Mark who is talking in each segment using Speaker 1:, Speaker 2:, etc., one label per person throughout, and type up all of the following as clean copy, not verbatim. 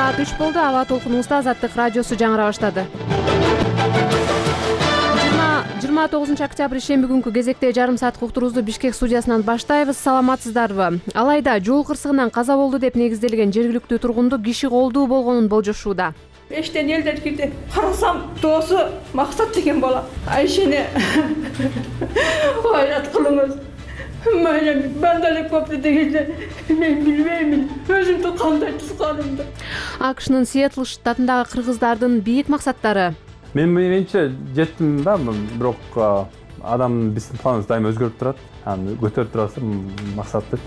Speaker 1: Саат 3 болду. Аба толкунубузда Азаттык радиосу жаңыра баштады. 29 октябрь шемби күнкү кезекте жарым саат уктуруубузду Бишкек студиясынан баштайбыз. Саламатсыздарбы? Алайда жол кырсыгынан каза болду деп негизделген жергиликтүү тургунду киши колдуу болгонун болжошууда.
Speaker 2: Эштен элдер кирди. Карасам, доосу Максат деген бала. Айшени айрат кылыңыз. Ben de koptu değildi. Ben bilmeyim. Özümde kандай тусканымды.
Speaker 1: AQShnын Сиэтл штатындагы кыргыздардын бийик максаттары.
Speaker 3: Менимче жеттим да, бирок адам биздин планыбыз дайыма өзгөрүп турат. Аны көтөрүп турасы максаттыч.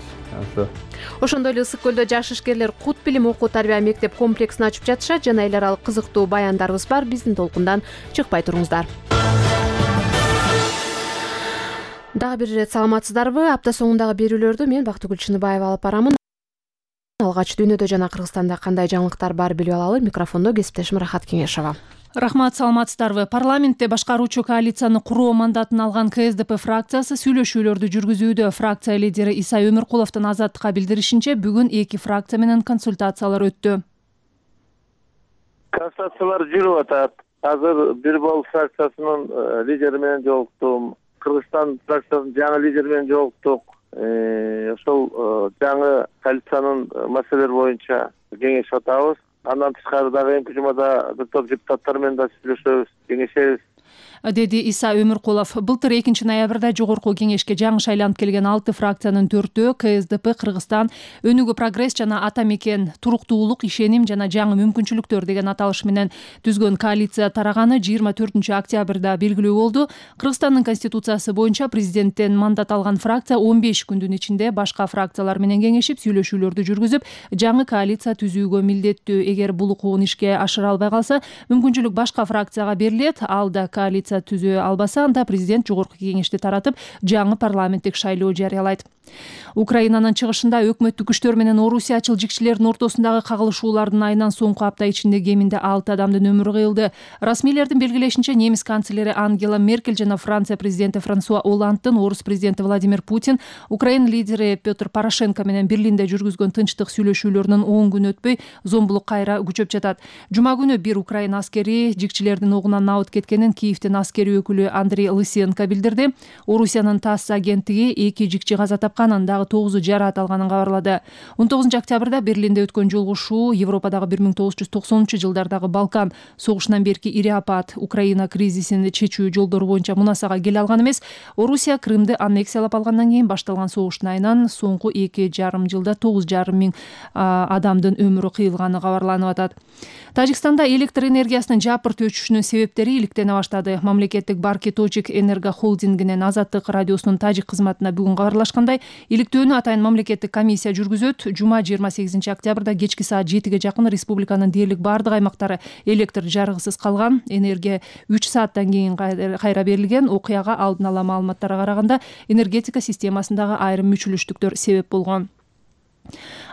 Speaker 1: Ошондой эле Ысык көлдө жаш ишкерлер кут билим окуу тарбия мектеп комплексин ачып жатышат. Жана эл аралык кызыктуу баяндарыбыз бар. Биздин толкундан чыкпай туруңуздар. Дагы бир ирет саламатсыздарбы? Апта соңундагы берүүлөрдү мен Бактыгүл Чыныбаева алып барамын. Алгач дүйнөдө жана Кыргызстанда кандай жаңылыктар бар билип алалы. Микрофондо кесиптешим Рахат Кеңешова.
Speaker 4: Рахмат, саламатсыздарбы? Парламентте башкаруучу коалицияны куруу мандатын алган КСДП фракциясы сүйлөшүүлөрдү жүргүзүүдө. Фракция лидери Иса Өмүркуловдун Азаттыкка билдиришинче, бүгүн эки фракция менен консультациялар өттү.
Speaker 5: Консультациялар жүрүп атат. Азыр бир бол фракциясынын лидери менен жолуктум. Кыргызстан фракциясынын жаңы лидери менен жолуктук. Ошол жаңы коалициянын маселелери боюнча кеңешип атабыз. Андан тышкары дагы МКЖМада бир топ депутаттар менен да сүйлөшөбүз, кеңешебиз,
Speaker 4: деди Иса Өмүркулов. Былтыр 2 ноябрда жогорку кеңешке жаңы шайланып келген 6 фракциянын 4-өө КСДП, Кыргызстан, Өнүгүү прогресс жана Ата мекен, туруктуулук, ишеним жана жаңы мүмкүнчүлүктөр деген аталыш менен түзгөн коалиция тараганы 24 октябрда белгилүү болду. Кыргызстандын конституциясы боюнча президенттен мандат алган фракция 15 күндүн ичинде башка фракциялар менен кеңешип, сүйлөшүүлөрдү жүргүзүп, жаңы коалиция түзүүгө милдеттүү. Эгер бул укугун ишке ашыра албай калса, мүмкүнчүлүк башка фракцияга берилет. Ал да коалиция түзө албаса, анда президент жогорку кеңешти таратып, жаңы парламенттик шайлоо жарыялайт. Украинанын чыгышында өкмөттүк күчтөр менен орусиячыл жикчилердин ортосундагы кагылышуулардын айынан соңку апта ичинде кеминде 6 адамдын өмүрү кыйылды. Расмийлердин белгилешинче, немис канцлери Ангела Меркель жана Франция президенти Франсуа Олландтын орус президенти Владимир Путин Украина лидери Петр Порошенко менен Берлинде жүргүзгөн тынчтык сүйлөшүүлөрүнөн 10 күн өтпөй зомбулук кайра күчөп жатат. Жума күнү бир Украина аскери жикчилердин огунан абыт кеткенин Киевдин аскери өкүлү Андрей Лысенко билдирди. Орусиянын ТАСС агенттиги 2 жикчи каза тапкан, андагы 9 жараат алганын кабарлады. 19 октябрда Берлинде өткөн жолугушуу Европадагы 1990-жылдардагы Балкан согушунан берки ири апат, Украина кризисин чечүү жолдору боюнча мунасага келе алган эмес. Орусия Крымды аннексиялап алгандан кийин башталган согуштун айынан соңку 2,5 жылда 9,5 миң адамдын өмүрү кыйылганы кабарланып атат. Тажикстанда электр энергиясынын жапырт өчүшүнүн себептери иликтене баштады. Мамлекеттик Барки Точик Энерго холдингинин Азаттык радиосунун тажик кызматына бүгүн кабарлашкандай, иликтөөнү атайын мамлекеттик комиссия жүргүзөт. Жума 28 октябрда кечки саат 7ге жакын республиканын дээрлик бардык аймактары электр жарыгысыз калган. Энергия 3 сааттан кийин кайра берилген. Окуяга алдын ала маалыматтарга караганда энергетика системасындагы айрым мүчүлүштүктөр себеп болгон.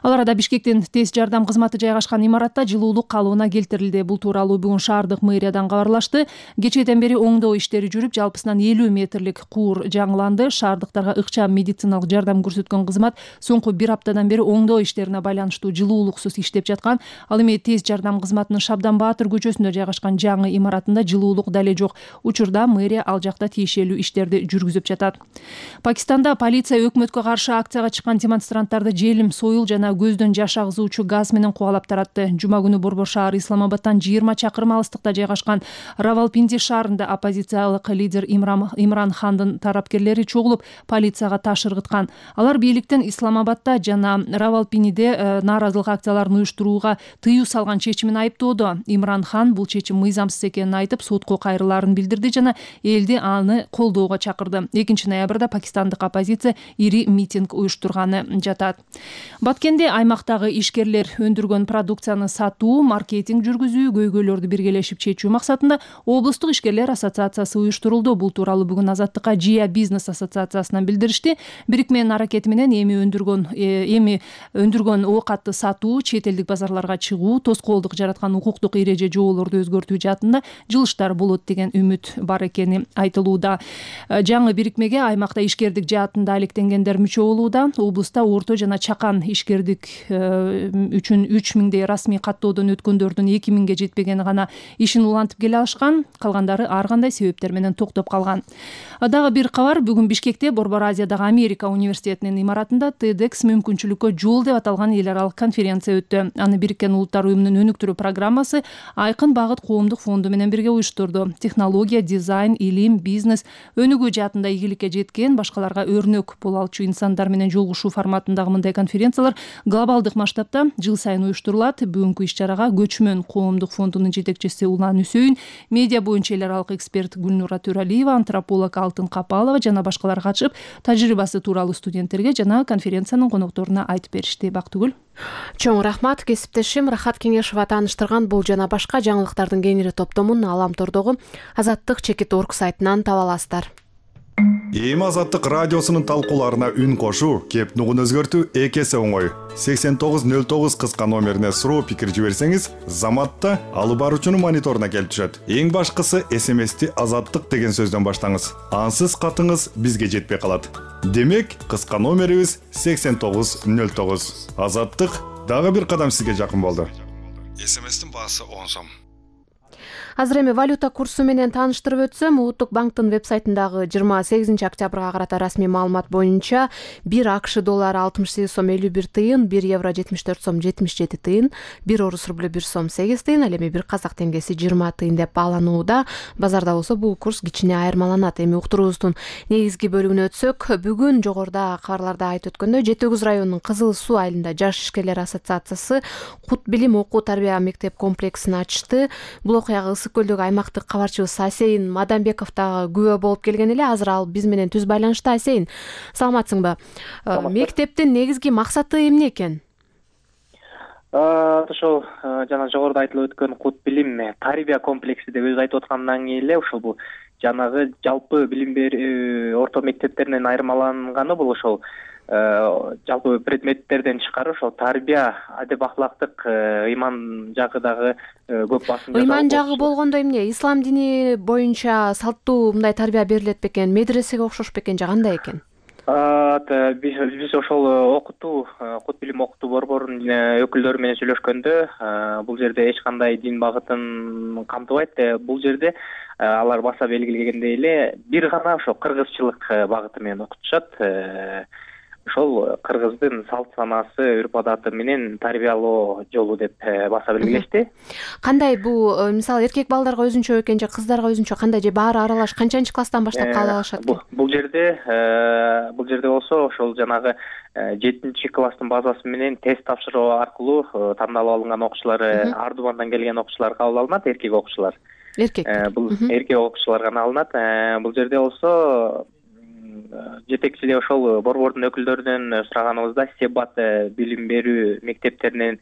Speaker 4: Ал арада Бишкектин тез жардам кызматы жайгашкан имаратта жылуулук калыбына келтирилди. Бул тууралуу бүгүн шаардык мэриядан кабарлашты. Кечээден бери оңдоо иштери жүрүп, жалпысынан 50 метрлик куур жаңыланды. Шаардыктарга ыкчам медициналык жардам көрсөткөн кызмат соңку 1 аптадан бери оңдоо иштерине байланыштуу жылуулуксуз иштеп жаткан. Ал эми тез жардам кызматынын Шабдан Баатыр көчөсүндө жайгашкан жаңы имаратында жылуулук дале жок. Учурда мэрия ал жакта тиешелүү иштерди жүргүзүп жатат. Пакистанда полиция өкмөткө каршы акцияга чыккан демонстранттарды желим, союл жана көздөн жаш агызуучу газ менен кубалап таратты. Жума күнү Борбор шаар Исламабадтан 20 чакырым алыстыкта жайгашкан Равалпинди шаарында оппозициялык лидер Имран Хандын тарапкерлери чогулуп, полицияга таш ыргыткан. Алар бийликтен Исламабадда жана Равалпиндиде нааразылык акцияларын уюштурууга тыюу салган чечимин айыптоодо. Имран Хан бул чечим мыйзамсыз экенин айтып, сотко кайрылаарын билдирди жана элди аны колдоого чакырды. 2 ноябрда пакистандык оппозиция ири митинг уюштурганы жатат. Баткенде аймактагы ишкерлер өндүргөн продукцияны сатуу, маркетинг жүргүзүү, көйгөйлөрдү биргелешип чечүү максатында облустук ишкерлер ассоциациясы уюштурулду. Бул тууралуу бүгүн Азаттыкка Жия бизнес ассоциациясынан билдиришти. Бирикменин аракети менен эми өндүргөн оокатты сатуу, чет элдик базарларга чыгуу, тоскоолдук жараткан укуктук эреже жоболорду өзгөртүү жаатында жылыштар болот деген үмүт бар экени айтылууда. Жаңы бирикмеге аймакта ишкердик жаатында алектенгендер мүчө болууда. Облуста орто жана чакан ишкердик мектепчилик үчүн 3000дей расмий каттоодон өткөндөрдүн 2000ге жетпегени гана ишин улантып келе алышкан, калгандары ар кандай себептер менен токтоп калган. Дагы бир кабар, бүгүн Бишкекте Борбор Азиядагы Америка университетинин имаратында TEDx мүмкүнчүлүккө жол деп аталган эл аралык конференция өттү. Аны Бириккен Улуттар уюмунун өнүктүрүү программасы Айкын багыт коомдук фонду менен бирге уюштурду. Технология, дизайн, илим, бизнес, өнүгүү жаатында ийгиликке жеткен, башкаларга өрнөк боло алчу инсандар менен жолугушуу форматындагы мындай конференциялар глобалдык масштабта жыл сайын уюштурулат. Бүгүнкү иш-чарага Көчмөн коомдук фондунун жетекчиси Улан Үсөйүн, медиа боюнча эл аралык эксперт Гүлнура Төралиева, антрополог Алтын Капалова жана башкалар катышып, тажрыйбасы тууралуу студенттерге жана конференциянын конокторуна айтып беришти. Бактыгүл.
Speaker 1: Чоң рахмат. Кесиптешим Рахат Кеңешова тааныштырган бул жана башка жаңылыктардын кеңири топтомун Аламтордогу Азаттык Чекит.org сайтынан таба аласыздар.
Speaker 6: Эми Азаттык радиосунун талкууларына үн кошуу, кеп нугун өзгөртүү экесе оңой. 8909 кыска номерине суроо пикир жиберсеңиз, заматта алып баруучунун мониторуна келип түшөт. Эң башкысы SMS-ти Азаттык деген сөздөн баштаңыз. Ансыз катыңыз бизге жетпей калат. Демек, кыска номерибиз 8909. Азаттык дагы бир кадам сизге жакын болду. SMS-тин баасы 10 сом.
Speaker 1: Азыр эми валюта курсу менен тааныштырып өтсөм, Улуттук банктын вебсайтындагы 28 октябрга карата расмий маалымат боюнча 1 АКШ доллары 68 сом 51 тыйын, 1 евро 74 сом 77 тыйын, 1 орус рублю 1 сом 8 тыйын, ал эми 1 казак теңгеси 20 тыйын деп бааланууда. Базарда болсо бул курс кичине айырмаланат. Эми уктуруубуздун негизги бөлүгүнө өтсөк, бүгүн жогоруда кабарларда айтып өткөндөй Жети Көз районунун Кызыл Суу айылында Жаш ишкерлер ассоциациясы Кут билим окуу тарбия мектеп комплексин ачты. Бул окуяга Ысык Көлдөгү аймактык кабарчыбыз Асейин Мадамбеков дагы күбө болуп келген эле. Азыр ал биз менен түз байланышта. Асейин, саламатсыңбы? Мектептин негизги максаты эмне экен?
Speaker 7: Ошол жана жогоруда айтылып өткөн Кут билим тарбия комплекси деп өзү айтып аткандан кийин эле ушул бул жанагы жалпы билим берүү орто мектептеринен айырмаланганы бул ошол жалпы предметтерден тышкары ошол тарбия, адеп ахлактык, ыйман жагы дагы көп басым.
Speaker 1: Ыйман жагы болгондо эмне? Ислам дини боюнча салттуу мындай тарбия берилет бекен, медресеге окшош бекен же кандай экен?
Speaker 7: Биз ошол окутуу, Кут билим окутуу борборунун өкүлдөрү менен сүйлөшкөндө бул жерде эч кандай дин багытын камтыбайт. Бул жерде алар баса белгилегендей эле бир гана ошо кыргызчылык багыты менен окутушат. Ошол кыргыздын салт санаасы, үрп адаты менен тарбиялоо жолу деп баса белгилешти.
Speaker 1: Кандай бул, мисалы эркек балдарга өзүнчө экен же кыздарга өзүнчө кандай же баары аралаш канчанчы класстан баштап кабыл алышат?
Speaker 7: Бул жерде болсо ошол жанагы 7-класстын базасы менен тест тапшыруу аркылуу тандалып алынган окуучулар, Ардубандан келген окуучулар кабыл алынат, эркек окуучулар. Бул эркек окуучулар гана алынат. Бул жерде болсо жетекчиде ошол борбордун өкүлдөрүнөн сураганыбызда себат билим берүү мектептерин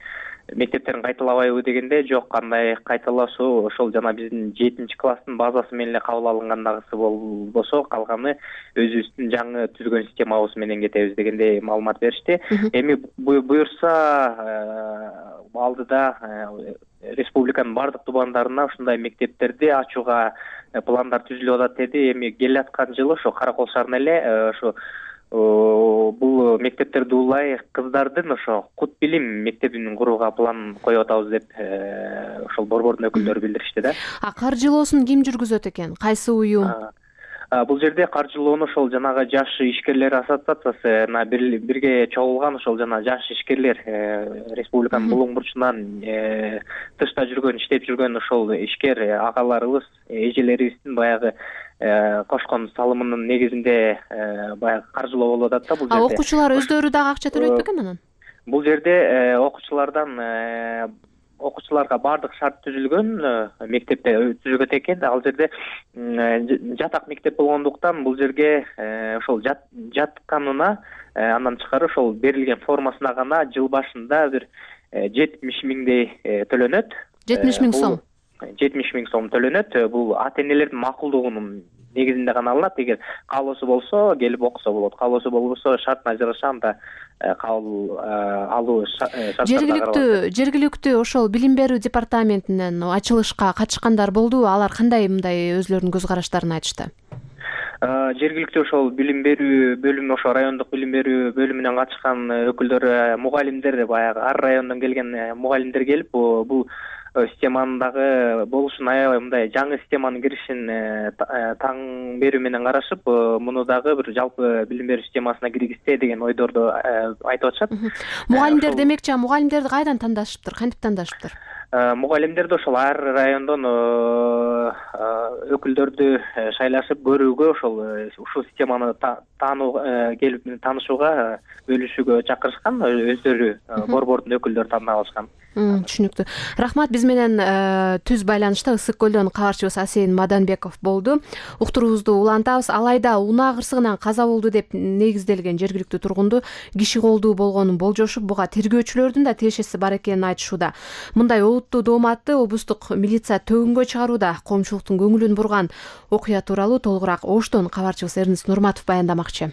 Speaker 7: кайталабайбы дегенде, жок, кандай кайталашуу, ошол жана биздин 7-класстын базасы менен эле кабыл алынгандагысы болбосо, калганы өзүбүздүн жаңы түзгөн системабыз менен кетебиз дегендей маалымат беришти. Эми буюрса алдыда республиканын бардык тубандарына ушундай мектептерди ачууга пландар түзүлүп атат деди. Эми келаткан жылы ошо Каракол шаарына эле ошо бул мектептерди улай кыздардын ошо Кут билим мектебин курууга план коюп атабыз деп ошол борбордун өкүлдөрү билдиришти да.
Speaker 1: Каржылоосун ким жүргүзөт экен? Кайсы уюм?
Speaker 7: Бул жерде каржылоону ошол жанагы Жаш ишкерлер ассоциациясына бирге чогулган ошол жана Жаш ишкерлер республиканын булуң бурчунан тышта жүргөн, иштеп жүргөн ошол ишкер агаларыбыз, эжелерибиздин баягы кошкон салымынын негизинде баягы каржылоо болуп атат да бул жерде.
Speaker 1: Окуучулар өздөрү дагы акча төлөйт бекен анан?
Speaker 7: Бул жерде окуучуларга бардык шарт түзүлгөн, мектепте түзүлгөн экен. Ал жерде жатак мектеп болгондуктан бул жерге ошол жатканына андан тышкары ошол берилген формасына гана жыл башында бир 70 миңдей төлөнөт.
Speaker 1: 70 миң сом.
Speaker 7: 70 миң сом төлөнөт. Бул ата-энелердин макулдугунун негизинде гана алынат. Эгер каалоосу болсо келип окуса болот. Каалоосу болбосо шартына жараша анда кабыл алуу шарттары.
Speaker 1: Жергиликтүү ошол билим берүү департаментинен ачылышка катышкандар болдубу? Алар кандай мындай өзлөрүнүн көз караштарын айтышты?
Speaker 7: Жергиликтүү ошол билим берүү бөлүмү, ошо райондук билим берүү бөлүмүнөн катышкан өкүлдөр, мугалимдер, баягы ар райондон келген мугалимдер келип, бул системанын дагы болушун, аябай мындай жаңы системанын киришин таң берүү менен карашып, муну дагы бир жалпы билим берүү системасына киргизсе деген ойдорду айтып атышат.
Speaker 1: Мугалимдер демекчи, мугалимдерди кайдан тандашыптыр, кантип тандашыптыр?
Speaker 7: Мугалимдерди ошол ар райондон өкүлдөрдү шайлашып көрүүгө, ошол ушул системаны келип таанышууга, бөлүшүүгө чакырышкан, өздөрү борбордун өкүлдөрү тандап алышкан.
Speaker 1: Түшүнүктүү. Рахмат. Биз менен түз байланышта Ысык көлдөн кабарчыбыз Асен Маданбеков болду. Уктуруубузду улантабыз. Алайда унаа кырсыгынан каза болду деп негизделген жергиликтүү тургунду киши колдуу болгонун болжошуп, буга тергөөчүлөрдүн да тиешеси бар экенин айтышууда. Мындай олуттуу дооматты облустук милиция төгүнгө чыгарууда коомчулуктун көңүлүн бурган окуя тууралуу толугураак Оштон кабарчыбыз Эрнест Нурматов баяндамакчы.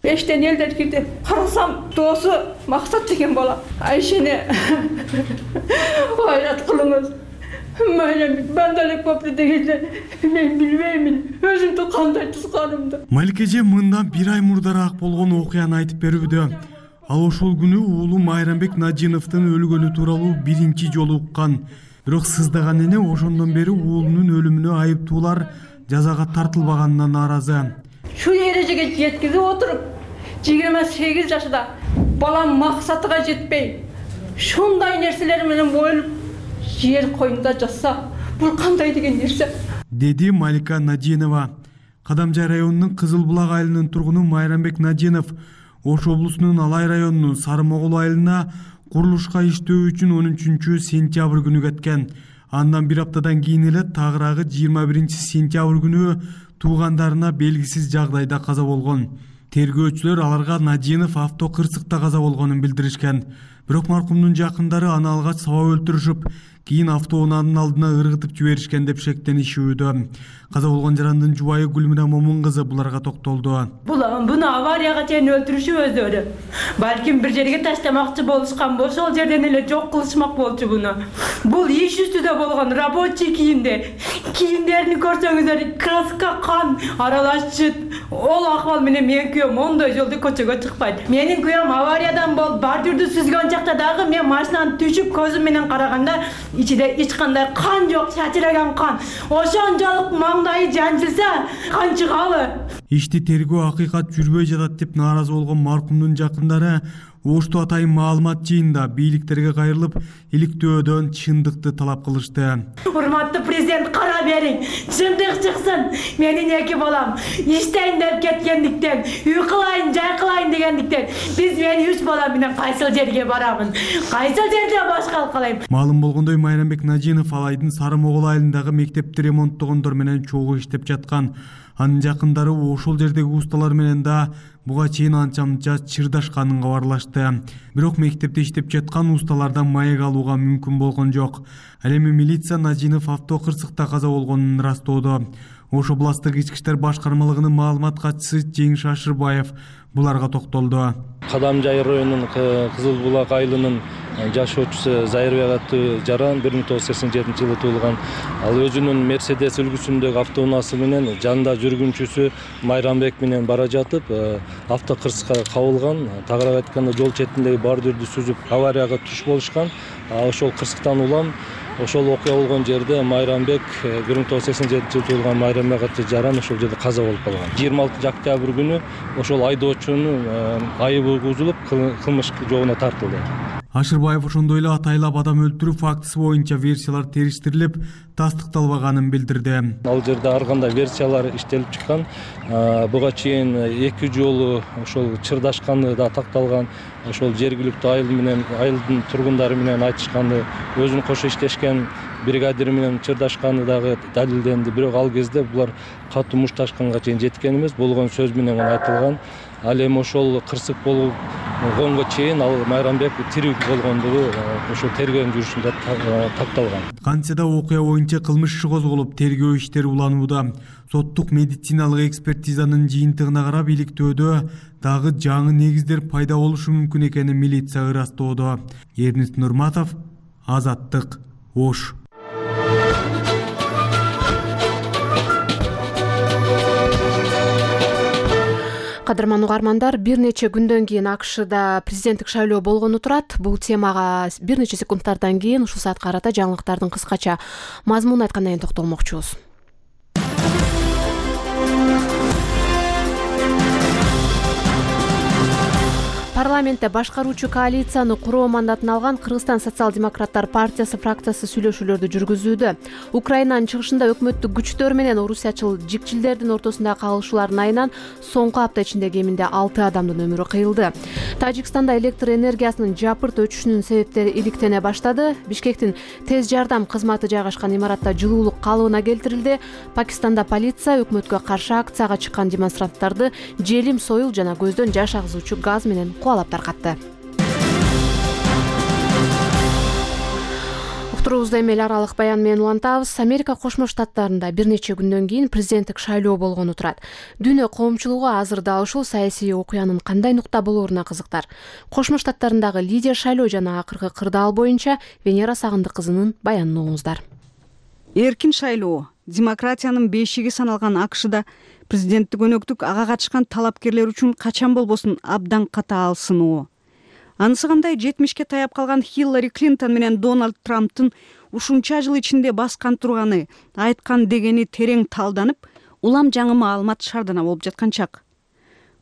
Speaker 2: Эштен элдер кирди. Карасам, доосу Максат деген бала. Айшени айрат кылыңыз. Ben de köprüde men bilmeymin. Özümdü kандай tuzганымды.
Speaker 8: Малика эже мындан бир ай мурдараак болгон окуяны айтып берүүдө. Ал ошол күнү уулу Майрамбек Надиновдун өлгөнү тууралуу биринчи жолу уккан. Бирок сыздаган эне ошондон бери уулунун өлүмүнө айыптуулар жазага тартылбаганына нааразы.
Speaker 2: Şu erejege жеткизип отуруп, 28 жашында балам максатыга жетпей, шундай нерселер менен бойлуп жер коюнда жатса, бул кандай деген нерсе?
Speaker 8: Деди Малика Надинова. Кадамжай районунун Кызыл Булак айылынын тургуну Майрамбек Надинов Ош облусунун Алай районунун Сары Могул айылына курулушка иштөө үчүн 13-сентябрь күнү кеткен. Андан бир аптадан кийин эле тагыраагы 21-сентябрь күнү туугандарына белгисиз жагдайда каза болгон. Тергөөчүлөр аларга Надинов авто кырсыкта каза болгонун билдиришкен. Бирок маркумдун жакындары аны алгач сабап өлтүрүшүп, кийин автоунаанын алдына ыргытып жиберишкен деп шектенишүүдө. Каза болгон жарандын жубайы Гүлмира Момун кызы буларга токтолду.
Speaker 2: Буну аварияга чейин өлтүрүшүп өздөрү. Балким бир жерге таштамакчы болушкан болсо, ал жерден эле жок кылышмак болчу буну. Бул иш үстүдө болгон рабочий кийимде. Кийимдерин көрсөңүздөр, краска кан аралашчы. Ол акыбал менен мен күйөөм ондой жолду көчөгө чыкпайт. Менин күйөөм авариядан болуп, бардүрдү сүзгөн жакта дагы мен машинадан түшүп көзүм менен караганда ичиде эч кандай кан жок, чачыраган кан. Ошончолук маңдайы жанчылса, кан чыгалы.
Speaker 8: Ишти тергөө акыйкат жүрбөй жатат деп нааразы болгон маркумдун жакындары Ошто атайын маалымат жыйында бийликтерге кайрылып, иликтөөдөн чындыкты талап кылышты.
Speaker 2: Урматтуу президент, кара бериң, чындык чыксын. Менин эки балам иштейин деп кеткендиктен, үй кылайын, жай кылайын дегендиктен, мен 3 балам менен кайсыл жерге барамын? Кайсыл жерде башкалык кылайм?
Speaker 8: Маалым болгондой, Майрамбек Надинов Алайдын Сары Могул айылындагы мектепти ремонттогондор менен чогуу иштеп жаткан. Анын жакындары ошол жердеги усталар менен да буга чейин анча-мынча чырдашканын кабарлашты. Бирок мектепте иштеп жаткан усталардан маек алууга мүмкүн болгон жок. Ал эми милиция Надинов авто кырсыкта каза болгонун ырастоодо. Ош областык ички иштер башкармалыгынын маалымат катчысы Жеңиш Ашырбаев буларга токтолду.
Speaker 9: Кадамжай районунун Кызыл Булак айылынын жашоочусу Зайырбек аттуу жаран 1987-жылы туулган. Ал өзүнүн Мерседес үлгүсүндөгү автоунаасы менен жанында жүргүнчүсү Майрамбек менен бара жатып, авто кырсыкка кабылган. Тагыраак айтканда, жол четиндеги бардүрдү сүзүп аварияга туш болушкан. Ошол кырсыктан улам ошол окуя болгон жерде Майрамбек 1987-жылы туулган Майрамбек аттуу жаран ошол жерде каза болуп калган. 26 октябрь күнү ошол айдоочунун айыбы угузулуп, кылмыш жообуна тартылды.
Speaker 8: Ашырбаев ошондой эле атайлап адам өлтүрүү фактысы боюнча версиялар териштирилип, тастыкталбаганын билдирди.
Speaker 9: Ал жерде ар кандай версиялар иштелип чыккан. Буга чейин 2 жолу ошол чырдашканы да такталган. Ошол жергиликтүү айыл менен айылдын тургундары менен айтышканы, өзүн кошо иштешкен бригадир менен чырдашканы дагы далилденди. Бирок ал кезде булар катуу мушташканга чейин жеткен эмес, болгон сөз менен айтылган. Ал эми ошол кырсык болгонго чейин ал Майрамбек тирүү болгондугу ошол тергөө жүрүшүндө такталган.
Speaker 8: Кантсе да окуя боюнча кылмыш иши козголуп, тергөө иштери уланууда. Соттук медициналык экспертизанын жыйынтыгына карап, иликтөөдө дагы жаңы негиздер пайда болушу мүмкүн экенин милиция ырастоодо. Эрнест Нурматов, Азаттык, Ош.
Speaker 1: Кадырман угармандар, бир нече күндөн кийин АКШда президенттик шайлоо болгону турат. Бул темага бир нече секундтардан кийин ушул саатка карата жаңылыктардын кыскача мазмунун айткандан кийин токтолмокчубуз. Парламентте башкаруучу коалицияны куруу мандатын алган Кыргызстан социал-демократтар партиясы фракциясы сүйлөшүүлөрдү жүргүзүүдө. Украинанын чыгышында өкмөттүк күчтөр менен орусиячыл жикчилдердин ортосундагы кагылышуулардын айынан соңку апта ичинде кеминде 6 адамдын өмүрү кыйылды. Тажикстанда электр энергиясынын жапырт өчүшүнүн себептери иликтене баштады. Бишкектин тез жардам кызматы жайгашкан имаратта жылуулук калыбына келтирилди. Пакистанда полиция өкмөткө каршы акцияга чыккан демонстранттарды желим, союл жана көздөн жаш агызуучу газ менен кубалап таркатты. Уктуруубузду эми эл аралык баян менен улантабыз. Америка Кошмо Штаттарында бир нече күндөн кийин президенттик шайлоо болгону турат. Дүйнө коомчулугу азыр да ушул саясий окуянын кандай нукта болоруна кызыктар. Кошмо Штаттарындагы лидер шайлоо жана акыркы кырдаал боюнча Венера Сагындык кызынын баянын угуңуздар.
Speaker 10: Эркин шайлоо демократиянын бешиги саналган АКШда президенттик өнөктүк ага катышкан талапкерлер үчүн качан болбосун абдан катаал сыноо. Анысы кандай 70ке таяп калган Хиллари Клинтон менен Дональд Трамптын ушунча жыл ичинде баскан турганы, айткан дегени терең талданып, улам жаңы маалымат шардана болуп жаткан чак.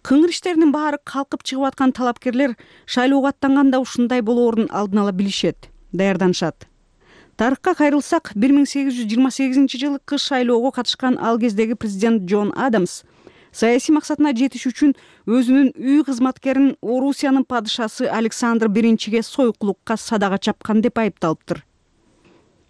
Speaker 10: Кыңыр иштеринин баары калкып чыгып аткан талапкерлер шайлоого аттанганда ушундай болоорун алдын ала билишет, даярданышат. Тарыхка кайрылсак, 1828 жылы кыш шайлоого катышкан ал кездеги президент Джон Адамс саясий максатына жетиш үчүн өзүнүн үй кызматкерин Орусиянын падышасы Александр I сойкулукка садага чапкан деп айыпталыптыр.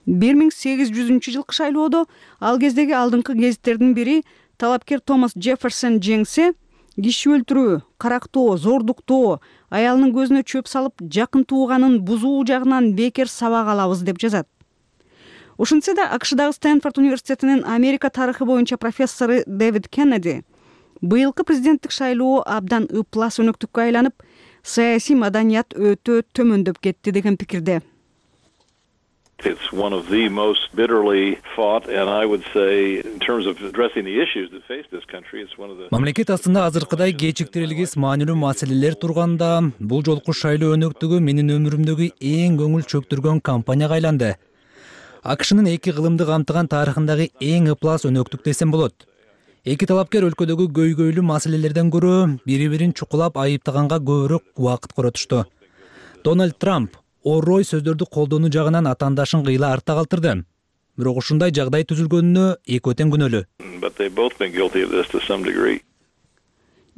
Speaker 10: 1800 жылкы шайлоодо ал кездеги алдыңкы гезиттердин бири талапкер Томас Джефферсон жеңсе, киши өлтүрүү, карактоо, зордуктоо, аялынын көзүнө чөп салып, жакын тууганын бузуу жагынан бекер сабак алабыз деп жазат. Ошентсе да АКШдагы Стэнфорд университетинин Америка тарыхы боюнча профессору Дэвид Кеннеди быйылкы президенттик шайлоо абдан ыплас өнөктүккө айланып, саясий маданият өтө төмөндөп кетти деген пикирде.
Speaker 11: It's one of the most bitterly fought, and I would say, in terms of addressing the issues that face this country, it's one of the...
Speaker 12: Мамлекет астында азыркыдай кечиктирилгис маанилүү маселелер турганда, бул жолку шайлоо өнөктүгү менин өмүрүмдөгү эң көңүл чөктүргөн кампанияга айланды. АКШнын эки кылымды камтыган тарыхындагы эң ыплас өнөктүк десем болот. Эки талапкер өлкөдөгү көйгөйлүү маселелерден көрө бири-бирин чукулап айыптаганга көбүрөөк убакыт коротушту. Дональд Трамп орой сөздөрдү колдонуу жагынан атаандашын кыйла артта калтырды. Бирок ушундай жагдай түзүлгөнүнө эки тең күнөөлүү.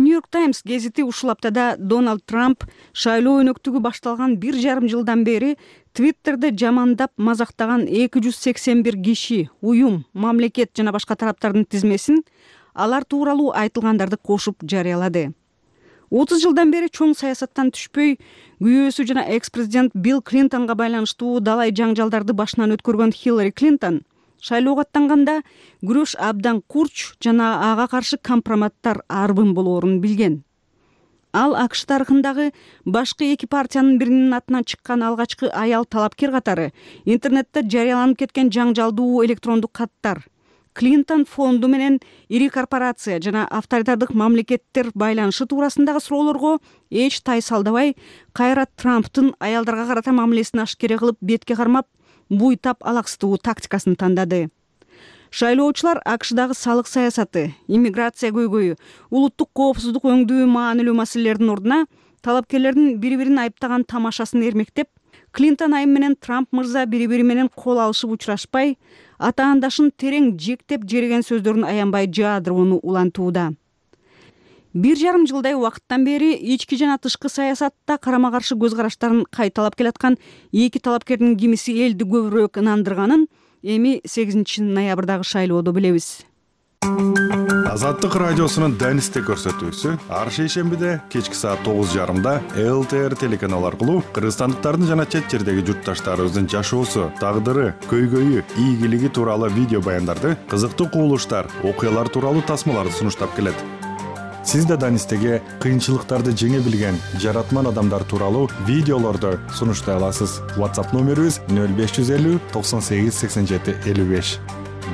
Speaker 10: Нью-Йорк Таймс гезити ушул аптада Дональд Трамп шайлоо өнөктүгү башталган 1,5 жылдан бери Твиттерде жамандап мазактаган 281 киши, уюм, мамлекет жана башка тараптардын тизмесин алар тууралуу айтылгандарды кошуп жарыялады. 30 жылдан бери чоң саясаттан түшпөй, күйөөсү жана экс-президент Билл Клинтонго байланыштуу далай жаңжалдарды башынан өткөргөн Хиллари Клинтон шайлоого аттанганда күрөш абдан курч жана ага каршы компроматтар арбын болоорун билген. Ал АКШ тарыхындагы башкы эки партиянын биринин атынан чыккан алгачкы аял талапкер катары интернетте жарыяланып кеткен жаңжалдуу электрондук каттар, Клинтон фонду менен ири корпорация жана авторитардык мамлекеттер байланышы туурасындагы суроолорго эч тайсалдабай, кайра Трамптын аялдарга карата мамилесин ашкере кылып бетке кармап, буйтап алаксытуу тактикасын тандады. Шайлоочулар АКШдагы салык саясаты, иммиграция көйгөйү, улуттук коопсуздук өңдүү маанилүү маселелердин ордуна талапкерлердин бири-бирин айыптаган тамашасын эрмектеп, Клинтон айым менен Трамп мырза бири-бири менен кол алышып учурашпай, атаандашын терең жектеп жереген сөздөрүн аянбай жаадырууну улантууда. 1,5 жылдай убакыттан бери ички жана тышкы саясатта карама-каршы көз караштарын кайталап келаткан эки талапкердин кимиси элди көбүрөөк ынандырганын эми 8 ноябрдагы шайлоодо билебиз.
Speaker 6: Азаттык радиосунун Данисте көрсөтүүсү ар шейшембиде кечки саат 9:30 ЛТР телеканалы аркылуу кыргызстандыктардын жана чет жердеги журтташтарыбыздын жашоосу, тагдыры, көйгөйү, ийгилиги тууралуу видео баяндарды, кызыктуу кубулуштар, окуялар тууралуу тасмаларды сунуштап келет. Сиз да Данистеге кыйынчылыктарды жеңе билген жаратман адамдар тууралуу видеолорду сунуштай аласыз. WhatsApp номерибиз 0550 98 87 55.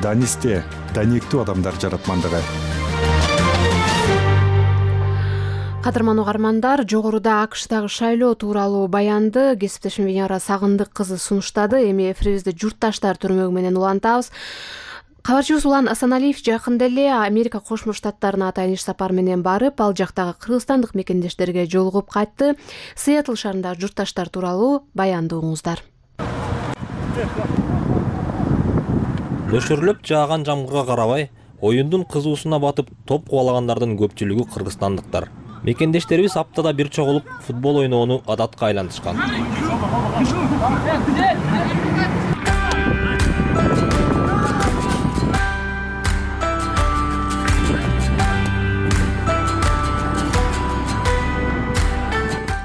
Speaker 6: Данисте, даниктүү адамдар жаратмандыгы.
Speaker 1: Кадырман угармандар, жогоруда АКШдагы шайлоо тууралуу баянды кесиптешим Венера Сагындык кызы сунуштады. Эми эфирибизди журтташтар түрмөгү менен улантабыз. Кабарчыбыз Улан Асаналиев жакында эле Америка Кошмо Штаттарына атайын иш сапар менен барып, ал жактагы кыргызстандык мекендештерге жолугуп кайтты. Сиэтл шаарындагы журтташтар тууралуу баянды угуңуздар.
Speaker 13: Нөшөрлөп жааган жамгырга карабай, оюндун кызуусуна батып топ кубалагандардын көпчүлүгү кыргызстандыктар. Мекендештерибиз аптада бир чогулуп футбол ойноону адатка айлантышкан.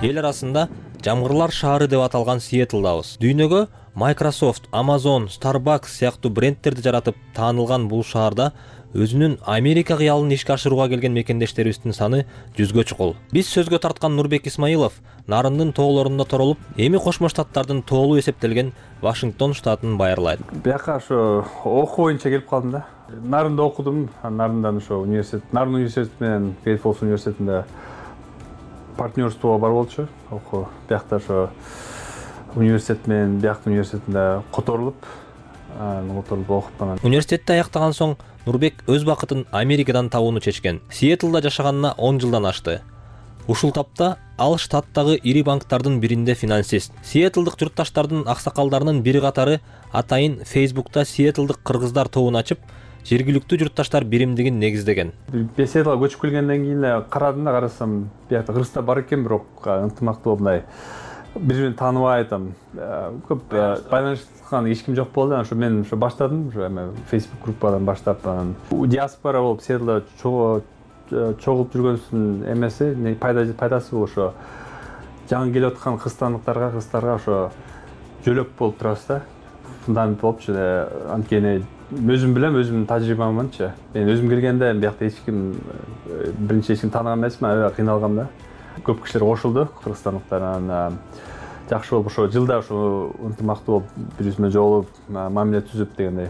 Speaker 13: Эл арасында жамгырлар шаары деп аталган Сиэтлдабыз. Дүйнөгө Microsoft, Amazon, Starbucks сыяктуу брендтерди жаратып таанылган бул шаарда өзүнүн Америка кыялын ишке ашырууга келген мекендештерибиздин саны 100гө чукул. Биз сөзгө тарткан Нурбек Исмаилов Нарындын тоолорунда торолуп, эми Кошмо Штаттардын тоолу эсептелген Вашингтон штатын байырлайт.
Speaker 3: Бияка ошо окуу боюнча келип калдым да. Нарында окудум. Нарындан ошо университет, Нарын университети менен Great Falls университетинде партнерствого бар болчу. Окуу биякта ошо университет менен бияктын университетинде которулуп окуп анан.
Speaker 13: Университетти аяктаган соң Нурбек өз бакытын Америкадан табууну чечкен. Сиэтлда жашаганына 10 жылдан ашты. Ушул тапта ал штаттагы ири банктардын биринде финансист. Сиэтлдык журтташтардын аксакалдарынын бири катары атайын Facebook'та Сиэтлдык кыргыздар тобун ачып, жергиликтүү журтташтар биримдигин негиздеген.
Speaker 3: Сиэтлга көчүп келгенден кийин эле карадым да, карасам, биякта кыргыздар бар экен, бирок ынтымактуу мындай бири-бирин тааныбай көп байланышкан эч ким жок болду. Ошо мен ошо баштадым, ошо Facebook группадан баштап, диаспора болуп Сиэтлда чогулуп жүргөнүбүздүн эмеси, пайдасы бул ошо жаңы келип аткан кыргызстандыктарга ошо жөлөк болуп турабыз да. Фундамент болупчу. Анткени өзүм билем, өзүмдүн тажрыйбамынчы. Мен өзүм келгенде биякта эч ким биринчи эч ким тааныган эмесмин, аябай кыйналгам да. Көп кишилер кошулду, кыргызстандыктар. Анан жакшы болуп ошо жылда ошо ынтымактуу болуп, бири-бирибиз менен жолугуп, мамиле түзүп дегендей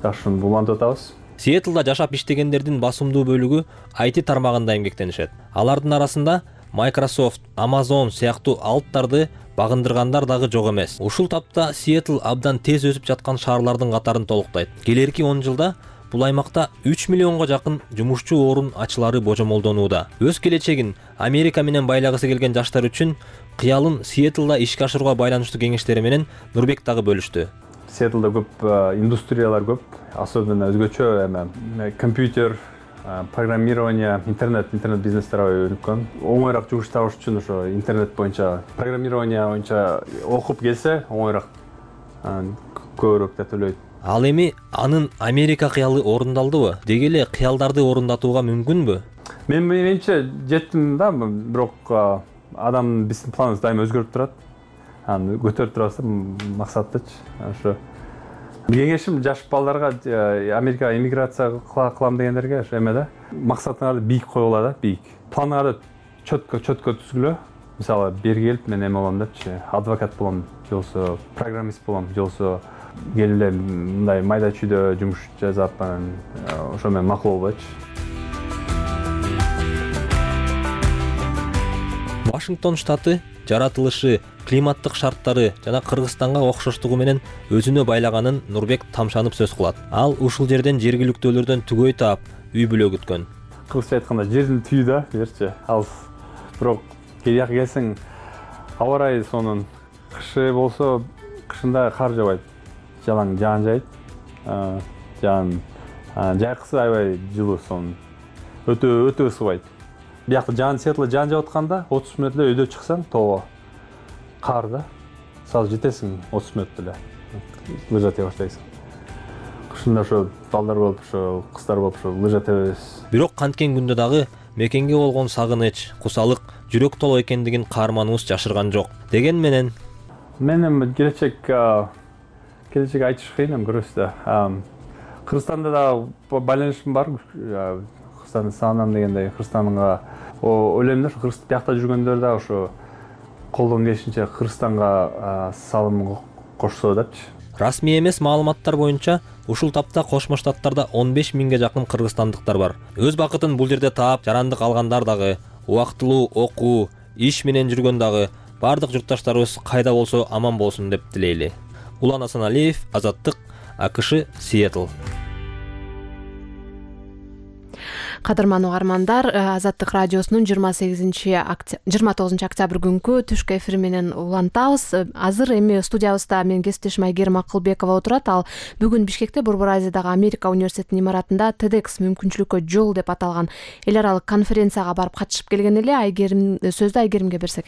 Speaker 3: жакшы улантып атабыз.
Speaker 13: Сиэтлда жашап иштегендердин басымдуу бөлүгү IT тармагында эмгектенишет. Алардын арасында Microsoft, Amazon сыяктуу алыптарды багындыргандар дагы жок эмес. Ушул тапта Сиэтл абдан тез өсүп жаткан шаарлардын катарын толуктайт. Келерки 10 жылда бул аймакта 3 миллионго жакын жумушчу орун ачылары божомолдонууда. Өз келечегин Америка менен байлагысы келген жаштар үчүн кыялын Сиэтлда ишке ашырууга байланыштуу кеңештери менен Нурбек дагы бөлүштү.
Speaker 3: Сиэтлда көп индустриялар көп, особенно өзгөчө компьютер, программирование, интернет бизнестер өнүккөн. Оңойраак жумуш табыш үчүн ошо интернет боюнча, программирование боюнча окуп келсе, оңойраак көбүрөөк да төлөйт.
Speaker 13: Ал эми анын Америка кыялы орундалдыбы? Деги эле кыялдарды орундатууга мүмкүнбү?
Speaker 3: Менимче жеттим да, бирок адам биздин планыбыз дайыма өзгөрүп турат. Аны көтөрүп турабыз максаттычы. Ошо кеңешим жаш балдарга Америкага эмиграция кылам дегендерге ошо эмеде максатыңарды бийик койгула да, бийик. Планыңарды чөткө түзгүлө. Мисалы, бери келип мен эме болом депчи, адвокат болом, же болбосо программист болом, же болбосо келип эле мындай майда чүйдө жумуш жасап, ошо менен макул болбойчу.
Speaker 13: Вашингтон штаты жаратылышы, климаттык шарттары жана Кыргызстанга окшоштугу менен өзүнө байлаганын Нурбек тамшанып сөз кылат. Ал ушул жерден жергиликтүүлөрдөн түгөй таап, үй бүлө күткөн.
Speaker 3: Кыргызча айтканда жердин түйү да, берчи. Ал бирок келияк келсең, аба ырайы сонун. Кышы болсо, кышында кар жаабайт. Жалаң жаан жайт. Жайкысы аябай жылуу сонун. Өтө ысыбайт. Биякта Сиэтлда жаан жаап атканда 30 мүнөт эле өйдө чыксаң, тоого кар да. Сразу жетесиң 30 мүнөт эле. Лыжа тебе баштайсың. Кышында ошо балдар болуп, ошо кыздар болуп, ошо лыжа тебебиз.
Speaker 13: Бирок канткен күндө дагы мекенге болгон сагыныч, кусалык, жүрөк толо экендигин каарманыбыз жашырган жок. Деген менен
Speaker 3: мен келечек айтыш кыйын, көрөсүз. Кыргызстанда да байланышым бар. Кыргызстанды сагынам дегендей, Кыргызстанга ойлойм да, Кыргыз биякта жүргөндөр да ошо колдон келишинче Кыргызстанга салым кошсо депчи.
Speaker 13: Расмий эмес маалыматтар боюнча ушул тапта Кошмо Штаттарда 15 миңге жакын кыргызстандыктар бар. Өз бакытын бул жерде таап, жарандык алгандар дагы убактылуу окуу, иш менен жүргөн дагы бардык журтташтарыбыз кайда болсо аман болсун деп тилейли. Улан Асаналиев, Азаттык, АКШ, Сиэтл.
Speaker 1: Кадырман угармандар, Азаттык радиосунун 29 октябрь күнкү түшкү эфири менен улантабыз. Азыр эми студиябызда менин кесиптешим Айгерим Акылбекова отурат. Ал бүгүн Бишкекте Борбор Азиядагы Америка университетинин имаратында TEDx мүмкүнчүлүккө жол деп аталган эл аралык конференцияга барып катышып келген эле. Сөздү Айгеримге берсек.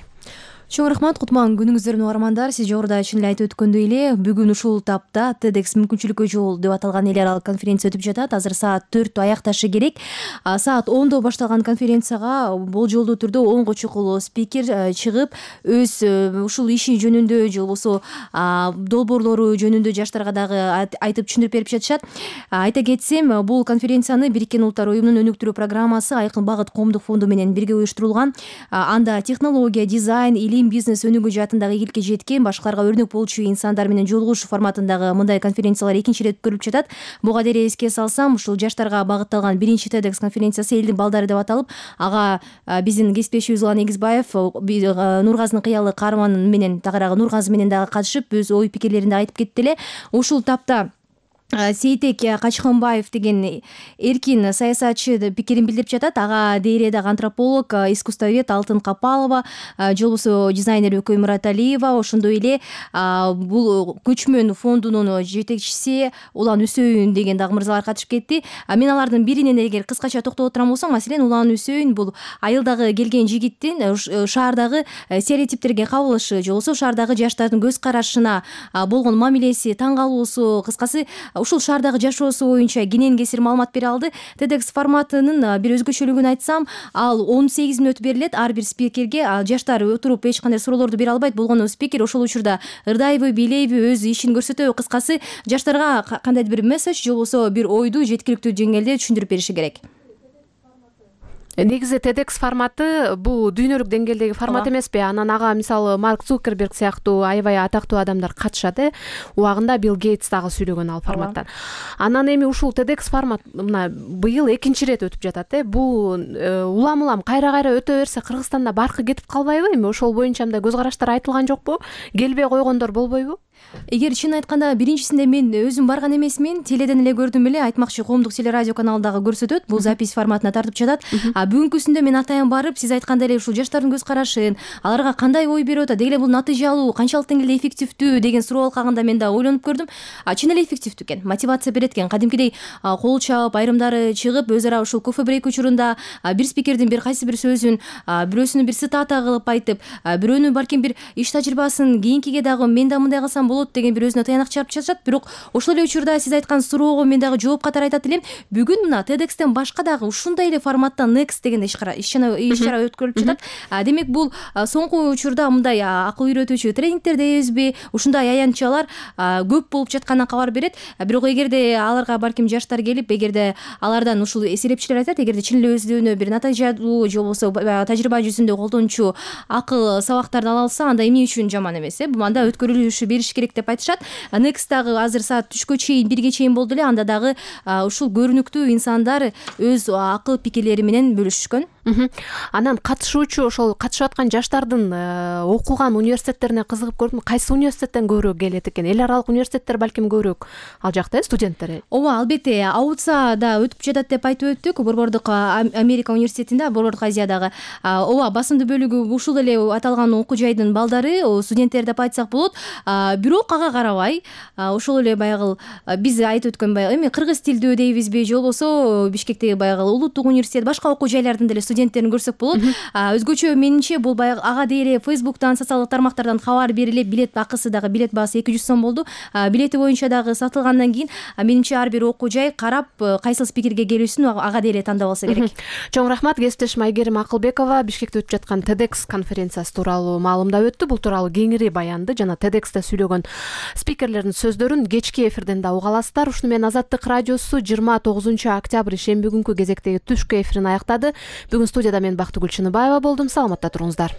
Speaker 14: Чоң рахмат, кутман күнүңүздөр угармандар. Сиз жогоруда чын эле айтып өткөндөй эле, бүгүн ушул тапта TEDx мүмкүнчүлүккө жол деп аталган эл аралык конференция өтүп жатат. Азыр саат 4 аякташы керек. Саат 10 башталган конференцияга болжолдуу түрдө 10 чукул спикер чыгып, өз ушул иши жөнүндө же болбосо долбоорлору жөнүндө жаштарга дагы айтып түшүндүрүп берип жатышат. Айта кетсем, бул конференцияны Бириккен Улуттар уюмунун өнүктүрүү программасы Айкын Багыт коомдук фонду менен бирге уюштурулган. Анда технология, дизайн, бизнес өнүгүү жаатындагы ийгиликке жеткен, башкаларга өрнөк болчу инсандар менен жолугушуу форматындагы мындай конференциялар экинчи ирет өткөрүлүп жатат. Буга деле эске салсам, ушул жаштарга багытталган биринчи TEDx конференциясы элдин балдары деп аталып, ага биздин кесиптешибиз Улан Эгизбаев, Нургазынын кыялы каарманы менен тагыраагы Нургазы менен дагы катышып, өз ой пикирлерин да айтып кетти эле. Ушул тапта Сейтек Качханбаев деген эркин саясатчы пикирин билдирип жатат. Ага дейре дагы антрополог, искусствовед Алтын Капалова, же болбосо дизайнер Өкөй Мураталиева, ошондой эле бул көчмөн фондунун жетекчиси Улан Үсөйүн деген дагы мырзалар катышып кетти. Мен алардын биринен эгер кыскача токтоло турам болсом, маселен Улан Үсөйүн бул айылдагы келген жигиттин шаардагы стереотиптерге кабылышы, же болбосо шаардагы жаштардын көз карашына болгон мамилеси, таң калуусу, кыскасы ушул шаардагы жашоосу боюнча кенен кесир маалымат бере алды. TEDx форматынын бир өзгөчөлүгүн айтсам, ал 18 мүнөт берилет ар бир спикерге. Жаштар отуруп эч кандай суроолорду бере албайт. Болгону спикер ошол учурда ырдайбы, бийлейби, өз ишин көрсөтөбү, кыскасы жаштарга кандайдыр бир месседж же болбосо бир ойду жеткиликтүү деңгээлде түшүндүрүп бериши керек.
Speaker 1: Негизи TEDx форматы бул дүйнөлүк деңгээлдеги формат эмеспи? Анан ага мисалы Марк Цукерберг сыяктуу аябай атактуу адамдар катышат. Убагында Билл Гейтс дагы сүйлөгөн ал форматтан. Анан эми ушул TEDx формат мына быйыл экинчи ирет өтүп жатат. Бул улам кайра өтө берсе Кыргызстанда баркы кетип калбайбы? Эми ошол боюнча мындай көз караштар айтылган жокпу? Келбей койгондор болбойбу?
Speaker 14: Эгер чын айтканда биринчисинде мен өзүм барган эмесмин, теледен эле көрдүм эле, айтмакчы коомдук телерадио каналындагы көрсөтөт, бул запись форматына тартып жатат. Бүгүнкүсүндө мен атайын барып, сиз айткандай эле ушул жаштардын көз карашын, аларга кандай ой берип атат, деги эле бул натыйжалуу, канчалык деңгээлде эффективдүү деген суроо алкагында мен да ойлонуп көрдүм. Чын эле эффективдүү экен, мотивация берет экен. Кадимкидей кол чаап, айрымдары чыгып, өз ара ушул кофе брейк учурунда бир спикердин бир кайсы бир сөзүн, бирөөсүнүн бир цитата кылып айтып, бирөөнүн балким бир иш тажрыйбасын кийинкиге дагы мен да мындай кылсам болот деген бир өзүнө таянак чыгарып жатышат. Бирок ошол эле учурда сиз айткан суроого мен дагы жооп катары айтат элем. Бүгүн мына TEDxтен башка дагы ушундай эле форматта Next деген иш чара өткөрүлүп жатат. Демек бул соңку учурда мындай акыл үйрөтүүчү тренингдер дейбизби, ушундай аянтчалар көп болуп жатканынан кабар берет. Бирок эгерде аларга балким жаштар келип, эгерде алардан ушул эсептчилер айтат, эгерде чын эле өздөрүнө бир натыйжалуу же болбосо тажрыйба жүзүндө колдончу акыл сабактарды ала алса, анда эмне үчүн жаман эмес, анда өткөрүлүшү бериш керек деп айтышат. Next дагы азыр саат түшкө чейин, 1ге чейин болду эле. Анда дагы ушул көрүнүктүү инсандар өз акыл пикирлери менен бөлүшүшкөн.
Speaker 1: Анан катышуучу, ошол катышып аткан жаштардын окуган университеттерине кызыгып көрдүм. Кайсы университеттен көбүрөөк келет экен? Эл аралык университеттер балким көбүрөөк ал жакта студенттер.
Speaker 14: Ооба, албетте, АУЦА да өтүп жатат деп айтып өттүк. Борбордук Америка университетинде, Борбордук Азиядагы. Ооба, басымдуу бөлүгү ушул эле аталган окуу жайдын балдары, студенттер деп айтсак болот. Бирок ага карабай, ошол эле баягы биз айтып өткөн эми кыргыз тилдүү дейбизби, же болбосо Бишкектеги баягы улуттук университет, башка окуу жайлардын деле студенттерин көрсөк болот. Өзгөчө менимче бул баягы ага дейре Facebook'тан, социалдык тармактардан кабар берилип, билет акысы дагы, билет баасы 200 сом болду. Билети боюнча дагы сатылгандан кийин менимче ар бир окуу жай карап, кайсыл спикерге келүүсүн ага дейре тандап алса керек.
Speaker 1: Чоң рахмат. Кесиптешим Айгерим Акылбекова Бишкекте өтүп жаткан TEDx конференциясы тууралуу маалымдап өттү. Бул тууралуу кеңири баянды жана TEDx'те сүйлөгөн спикерлердин сөздөрүн кечки эфирден да уга аласыздар. Ушуну менен Азаттык радиосу 29 октябрь шемби күнкү кезектеги түшкү эфирин аяктады. Бүгүн студияда мен Бактыгүл Чыныбаева болдум. Саламатта туруңуздар.